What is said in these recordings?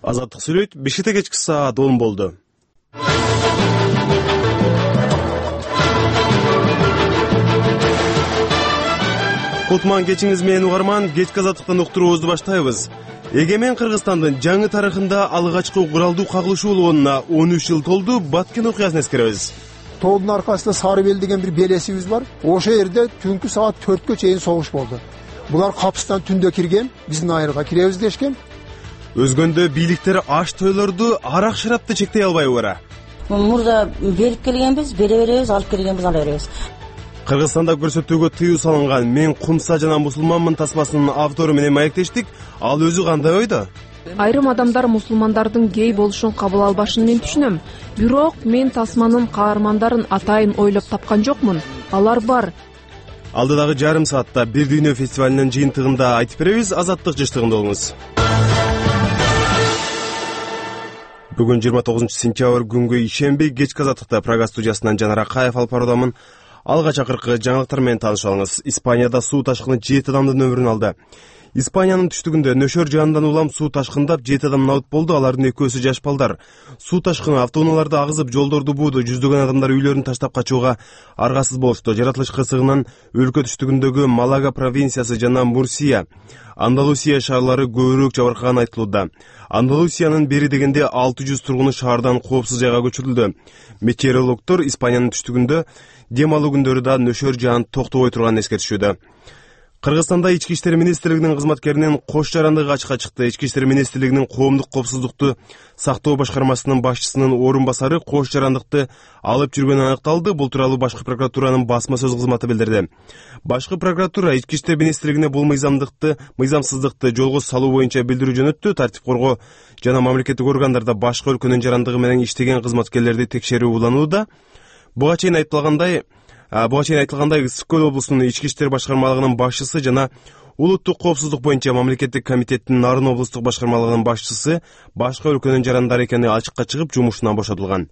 Азаттык сүйлөйт, Бишкекте кечки саат 10 болду. Кутман кечиңиз менен угарман, кечки азаттыктан уктуруубузду баштайбыз. Эгемен Кыргызстандын жаңы тарыхында алгачкы куралдуу кагылышуу болгонуна 13 жыл толду. Баткен окуясын эскеребиз. Тоодун аркасында Сарыбел деген бир белесибиз бар. Ошол жерде түнкү саат 4кө чейин согуш болду. Булар капыстан түндө кирген, биздин айырга киребиз дешкен. Өзгөндө бийликтер аш тойлорду, арак шарапты чектей албайбы бара? Мурда берип келгенбиз, бере беребиз, алып келгенбиз, ала беребиз. Кыргызстанда көрсөтүүгө тыюу салынган "Мен кумса жана мусулманмын" тасмасынын автору менен маектештик. Ал өзү кандай ойдо? Айрым адамдар мусулмандардын гей болушун кабыл албашын мен түшүнөм. Бирок мен тасманын каармандарын атайын ойлоп тапкан жокмун. Алар бар. Алдыдагы жарым саатта Бир дүйнө фестивалинин жыйынтыгында айтып беребиз. Азаттык жыштыгында болуңуз. Бүгүн 29 сентябрь күнгө ишенбей кечки азаттыкта Прага студиясынан Жанар Акаев алып баруудамын. Алгач акыркы жаңылыктар менен таанышып алыңыз. Испанияда суу ташкыны 7 адамдын өмүрүн алды. Испаниянын түштүгүндө нөшөр жаандан улам суу ташкындап 7 адам набыт болду. Алардын экөөсү жаш балдар. Суу ташкыны автоунааларды агызып, жолдорду бууду. Жүздөгөн адамдар үйлөрүн таштап качууга аргасыз болушту. Жаратылыш кырсыгынан өлкө түштүгүндөгү Малага провинциясы жана Мурсия, Андалусия шаарлары көбүрөөк жабыркаган айтылууда. Андалусиянын бери дегенде 600 тургуну шаардан коопсуз жайга көчүрүлдү. Метеорологдор Испаниянын түштүгүндө дем алуу күндөрү да нөшөр жаан токтобой турганын эскертишүүдө. Кыргызстанда Ички иштер министрлигинин кызматкеринин кош жарандыгы ачыкка чыкты. Ички иштер министрлигинин коомдук коопсуздукту сактоо башкармасынын башчысынын орун басары кош жарандыкты алып жүргөнү аныкталды. Бул тууралуу башкы прокуратуранын басма сөз кызматы билдирди. Башкы прокуратура Ички иштер министрлигине бул мыйзамсыздыкты жолго салуу боюнча билдирүү жөнөттү. Тартип коргоо жана мамлекеттик органдарда башка өлкөнүн жарандыгы менен иштеген кызматкерлерди текшерүү уланууда. Буга чейин айтылгандай, Ысык Көл облусунун ички иштер башкармалыгынын башчысы жана улуттук коопсуздук боюнча мамлекеттик комитеттин Нарын облустук башкармалыгынын башчысы башка өлкөнүн жарандары экени ачыкка чыгып, жумушунан бошотулган.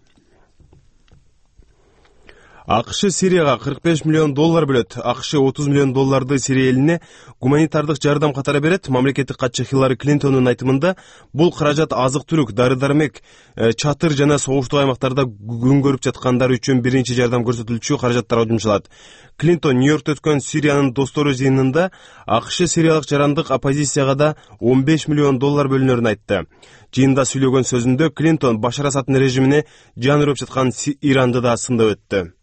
АКШ Сирияга $45 миллион бөлөт. АКШ $30 миллион Сирия элине гуманитардык жардам катары берет. Мамлекеттик катчы Хиллари Клинтондун айтымында бул каражат азык-түлүк, дары-дармек, чатыр жана согуштуу аймактарда күн көрүп жаткандар үчүн биринчи жардам көрсөтүлчү каражаттарга жумшалат. Клинтон Нью-Йоркто өткөн Сириянын достору жыйынында АКШ сириялык жарандык оппозицияга да $15 миллион бөлүнөрүн айтты. Жыйында сүйлөгөн сөзүндө Клинтон Башар Асаддын режимине жан үрөп жаткан Иранды да сындап өттү.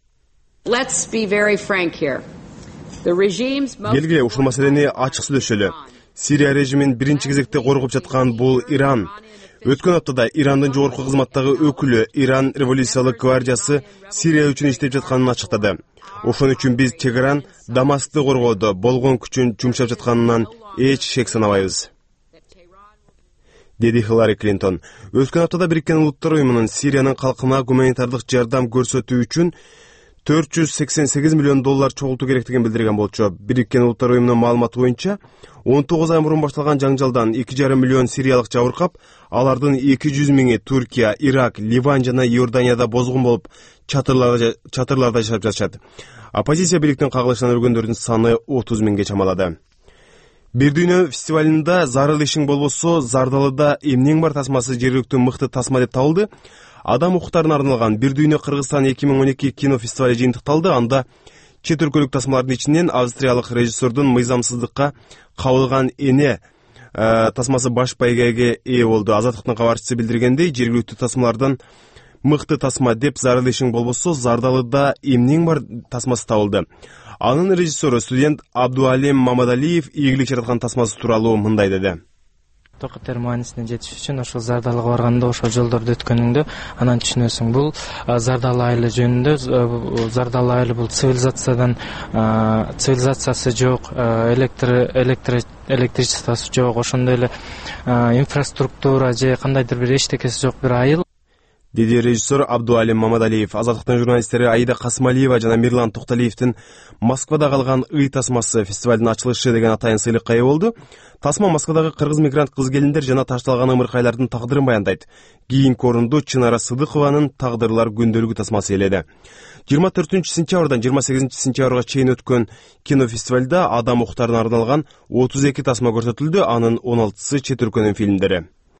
Келгиле ушул маселени ачык сүйлөшөлү. Сирия режимин биринчи кезекте коргоп жаткан бул Иран. Өткөн аптада Ирандын жогорку кызматтагы өкүлү Иран революциялык гвардиясы Сирия үчүн иштеп жатканын ачыктады. Ошон үчүн биз чегаран Дамаскты коргоодо болгон күчүн жумшап жатканынан эч шек санабайбыз, деди Хиллари Клинтон. Өткөн аптада Бириккен Улуттар уюмунун Сириянын калкына гуманитардык жардам көрсөтүү үчүн $488 миллион чогултуу керектигин билдирген болчу. Бириккен Улуттар уюмунун маалыматы боюнча 19 ай мурун башталган жаңжалдан 2,5 миллион сириялык жабыркап, алардын 200 миңи Түркия, Ирак, Ливан жана Иорданияда бозгун болуп чатырларда жашап жатышат. Оппозиция бийликтин кагылышынан өлгөндөрдүн саны 30 миңге чамалады. Бир дүйнө фестивалинде зарыл ишиң болбосо, Зардалыда эмнең бар тасмасы жергиликтүү мыкты тасма деп табылды. Адам укуктарына арналган Бир дүйнө Кыргызстан 2012 кинофестивали жыйынтыкталды. Анда чет өлкөлүк тасмалардын ичинен австриялык режиссердун мыйзамсыздыкка кабылган эне тасмасы баш байгеге ээ болду. Азаттыктын кабарчысы билдиргендей, жергиликтүү тасмалардан мыкты тасма деп зарыл ишиң болбосо, Зардалыда эмнең бар тасмасы табылды. Анын режиссеру студент Абдуалим Мамадалиев ийгилик жараткан тасмасы тууралуу мындай деди. Токотер маанисине жетиш үчүн ошол Зардалыга барганда ошол жолдорду өткөнүңдө анан түшүнөсүң. Бул Зардалы айылы жөнүндө. Зардалы айылы бул цивилизациясы жок, электричествосу жок, ошондой эле инфраструктура же кандайдыр бир эчтекеси жок бир айыл, деди режиссер Абдуалим Мамадалиев. Азаттыктын журналисттери Аида Касымалиева жана Мирлан Токталиевдин Москвада калган ый тасмасы фестивалдын ачылышы деген атайын сыйлыкка ээ болду. Тасма Москвадагы кыргыз мигрант кыз-келиндер жана ташталган ымыркайлардын тагдырын баяндайт. Кийинки орунду Чынара Сыдыкованын Тагдырлар күндөлүгү тасмасы ээледи. 24 сентябрдан 28 сентябрга чейин өткөн кинофестивалда адам укуктарына арналган 32 тасма көрсөтүлдү. Анын 16сы чет өлкөнүн фильмдери.